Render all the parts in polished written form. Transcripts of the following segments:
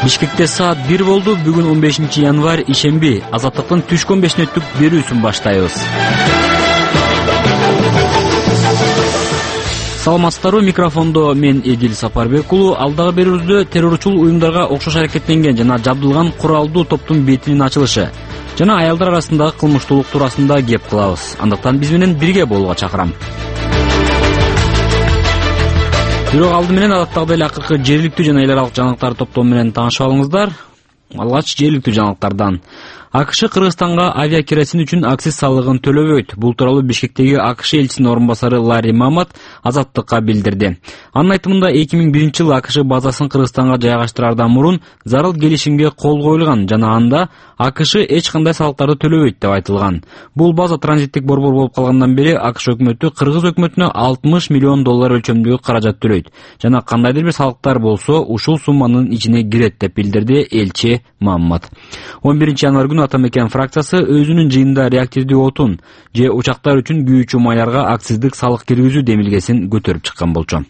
Бишкекте саат 1 болду. Бүгүн 15-январь ишемби. Азаттыктын түшкөн 5 мүнөттүк берүүсүн баштайбыз. Саламатсыздарбы, микрофондо мен Эдил Сапарбек уулу. Алдагы берүүбүздө террорчул уюмдарга окшош аракеттенген жана жабдылган куралдуу топтун бетинин ачылышы жана аялдар арасындагы кылмыштуулук туурасында кеп кылабыз. Андыктан биз менен бирге болууга чакырам. Бирок алды менен адаттагыдай эле акыркы жергиликтүү жана эл аралык жаңылыктар топтому менен таанышып алыңыздар. Алгач жергиликтүү жаңылыктардан. АКШ Кыргызстанга авиакеросин үчүн акциз салыгын төлөбөйт. Бул тууралуу Бишкектеги АКШ элчисинин орун басары Ларри Мамат Азаттыкка билдирди. Анын айтымында 2001-жылы АКШ базасын Кыргызстанга жайгаштыраардан мурун зарыл келишимге кол коюлган жана анда АКШ эч кандай салыктарды төлөбөйт деп айтылган. Бул база транзиттик борбор болуп калгандан бери АКШ өкмөтү Кыргыз өкмөтүнө $60 миллион өлчөмдөгү каражат төлөйт жана кандайдыр бир салыктар болсо ушул сумманын ичине кирет деп билдирди элчи Мамат. 11-январь күнү Атамекен фракциясы өзүнүн жыйынында реактивдүү отун же учактар үчүн күйүүчү майларга акциздик салык киргизүү демилгесин көтөрүп чыккан болчу.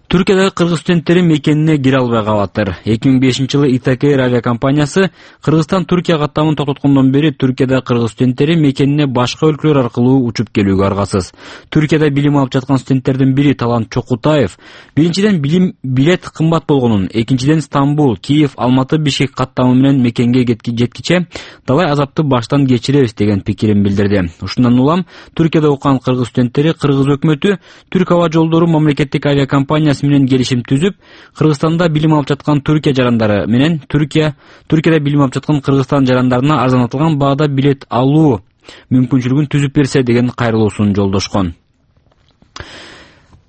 Түркиядагы кыргыз студенттери мекенине кире албай калаттыр. 2005-жылы Итакер авиакомпаниясы Кыргызстан-Түркия каттамын токтоткондон бери Түркиядагы кыргыз студенттери мекенине башка өлкөлөр аркылуу учуп келүүгө аргасыз. Түркияда билим алып жаткан студенттердин бири Талант Чокутаев биринчиден билет кымбат болгонун, экинчиден Стамбул, Киев, Алматы, Бишкек каттамы менен мекенге жеткиче далай азапты баштан кечиребиз деген пикирин билдирди. Ушундан улам Түркияда окуган кыргыз студенттери Кыргыз өкмөтү Түрк аба жолдору мамлекеттик авиакомпаниясы менен келишим түзүп, Кыргызстанда билим алып жаткан Түркия жарандары менен Түркияда билим алып жаткан Кыргызстан жарандарына арзанатылган баада билет алуу мүмкүнчүлүгүн түзүп берсе деген кайрылуусун жолдошкон.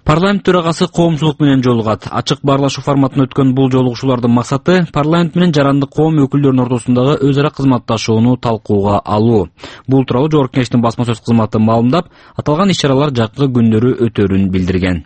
Парламент төрагасы коомчулук менен жолугат. Ачык баарлашуу форматында өткөн бул жолугушуулардын максаты парламент менен жарандык коом өкүлдөрүнүн ортосундагы өз ара кызматташууну талкууга алуу. Бул тууралуу Жогорку Кеңештин басма сөз кызматы маалымдап, аталган иш-чаралар жакынкы күндөрү өтөрүн билдирген.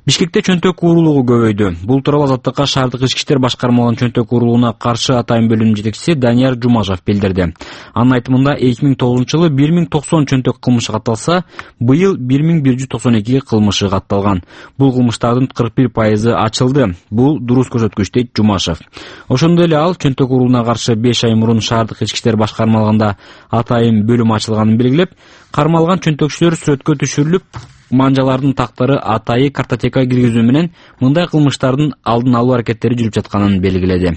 Бишкекте чөнтөк уурулугу көбөйдү. Бул тууралуу Азаттыкка шаардык ички иштер башкармалыгынын чөнтөк уурулугуна каршы атайын бөлүмүнүн жетекчиси Данияр Жумашев билдирди. Анын айтымында 2009-жылы 1090 чөнтөк кылмышы катталса, быйыл 1192 кылмышы катталган. Бул кылмыштардын 41% ачылды. Бул дурус көрсөткүч дейт Жумашев. Ошондой эле ал чөнтөк уурулугуна каршы 5 ай мурун шаардык ички иштер башкармалыгында атайын бөлүм ачылганын белгилеп, кармалган чөнтөкчүлөр сүрөткө түшүрүлүп, манжалардын тактары атайы картотека киргизүү менен мындай кылмыштардын алдын алуу аракеттери жүрүп жатканын белгиледи.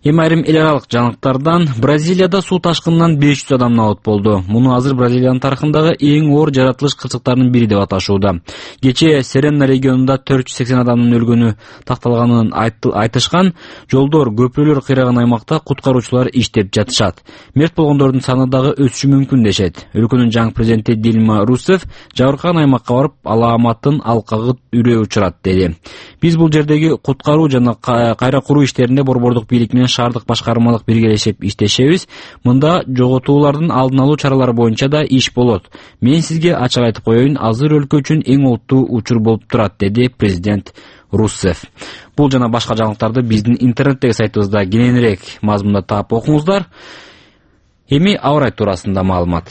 Эми айрым эл аралык жаңылыктардан. Бразилияда суу ташкынынан 500 адам набат болду. Муну азыр Бразилиянын тарыхындагы эң оор жаратылыш кырсыктарынын бири деп аташууда. Кечээ Серена регионунда 480 адамдын өлгөнү такталганын айтышкан. Жолдор, көпүрөлөр кыйраган аймакта куткаруучулар иштеп жатышат. Мерт болгондордун саны дагы өсүшү мүмкүн дешет. Өлкөнүн жаңы президенти Дилма Русефф жабыркаган аймакка барып, алааматтын алкагы үрөө учурат деди. Биз бул жердеги куткаруу жана кайра куруу иштеринде борбордук бийлик менен шаардык башкармалык биргелешип иштешебиз. Мында жоготуулардын алдын алуу чаралары боюнча да иш болот. Мен сизге ачык айтып коеюн, азыр өлкө үчүн эң олуттуу учур болуп турат, деди президент Руссефф. Бул жана башка жаңылыктарды биздин интернеттеги сайтыбызда кененирээк мазмунда таап окуңуздар. Эми аба ырайы туурасында маалымат.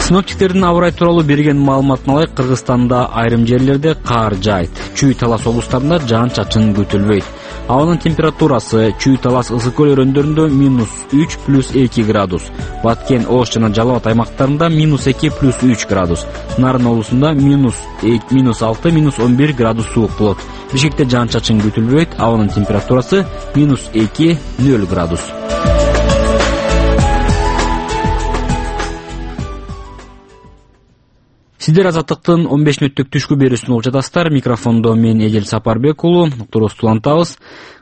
Синоптиктердин аба ырайы тууралуу берген маалыматына ылайык, Кыргызстанда айрым жерлерде кар жаайт. Чүй-Талас облустарында жаан-чачын күтүлбөйт. Абанын температурасы Чүй-Талас ысык көл өрөөндөрүндө -3 + 2 градус, Баткен, Ош жана Жалал Абад аймактарында -2 + 3 градус, Нарын облусунда -6 - 11 градус суук болот. Бишкекте жаан-чачын күтүлбөйт. Абанын температурасы -2 - 0 градус. Сиздер Азаттыктын 15 мүнөттүк түшкү берүүсүн угуп жатасыздар. Микрофондо мен Эдил Сапарбек уулу. Уктурубузду улантабыз.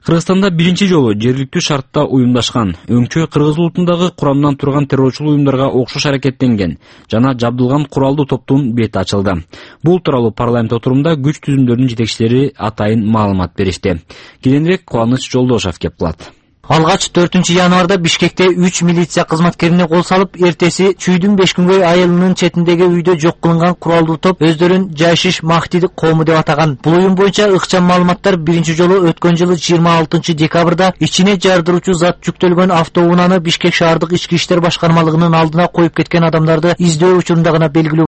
Кыргызстанда биринчи жолу жергиликтүү шартта уюмдашкан, өңчө кыргыз улутундагы курамдан турган террорчул уюмдарга окшош аракеттенген жана жабдылган куралдуу топтун бети ачылды. Бул тууралуу парламент отурумда күч түзүмдөрүнүн жетекчилери атайын маалымат беришти. Кененирээк Кубаныч Жолдошев кеп кылат. Алгач 4-январда Бишкекте 3 милиция кызматкерине кол салып, эртеси Чүйдүн 5 күнгөй айылынын четиндеги үйдө жок кылынган куралдуу топ өздөрүн Жайшиш Махти коому деп атаган. Бул уюм боюнча ыкчам маалыматтар биринчи жолу өткөн жылы 26 декабрда ичине жардыруучу зат жүктөлгөн автоунааны Бишкек шаардык ички иштер башкармалыгынын алдына коюп кеткен адамдарды издөө учурунда гана белгилүү